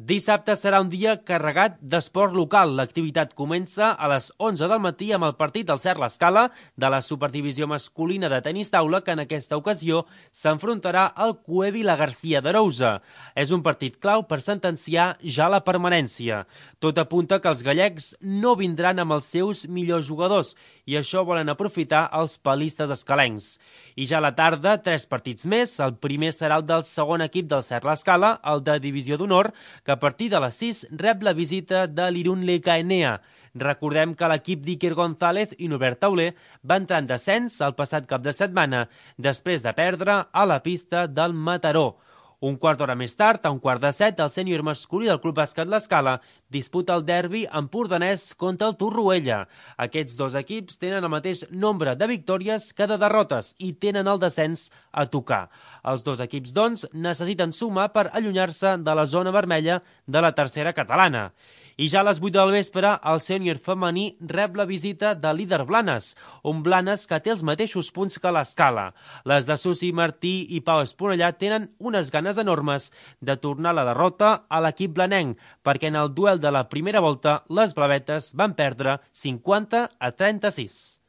Dissabte serà un dia carregat d'esport local. L'activitat comença a les 11 del matí amb el partit del Cert l'Escala de la Superdivisió masculina de tenis taula, que en aquesta ocasió s'enfrontarà al Cuevi la Garcia d'Arousa. És un partit clau per sentenciar ja la permanència. Tot apunta que els gallecs no vindran amb els seus millors jugadors i això volen aprofitar els palistes escalencs. I ja a la tarda, 3 partits més. El primer serà el del segon equip del Cert l'Escala, el de Divisió d'Honor, que a partir de les 6 rep la visita de l'Irun Lecaenea. Recordem que l'equip d'Iker González i Norbert Tauler va entrar en descens el passat cap de setmana, després de perdre a la pista del Mataró. Un quart d'hora més tard, a un quart de 7, el sènior masculí del Club Bàsquet l'Escala disputa el derbi empordanès contra el Torroella. Aquests dos equips tenen el mateix nombre de victòries que de derrotes i tenen el descens a tocar. Els dos equips, doncs, necessiten sumar per allunyar-se de la zona vermella de la tercera catalana. I ja a les 8 del vespre, el sènior femení rep la visita de líder Blanes, un Blanes que té els mateixos punts que l'Escala. Les de Susi Martí i Pau Esponellà tenen unes ganes enormes de tornar la derrota a l'equip blanenc, perquè en el duel de la primera volta les blavetes van perdre 50-36.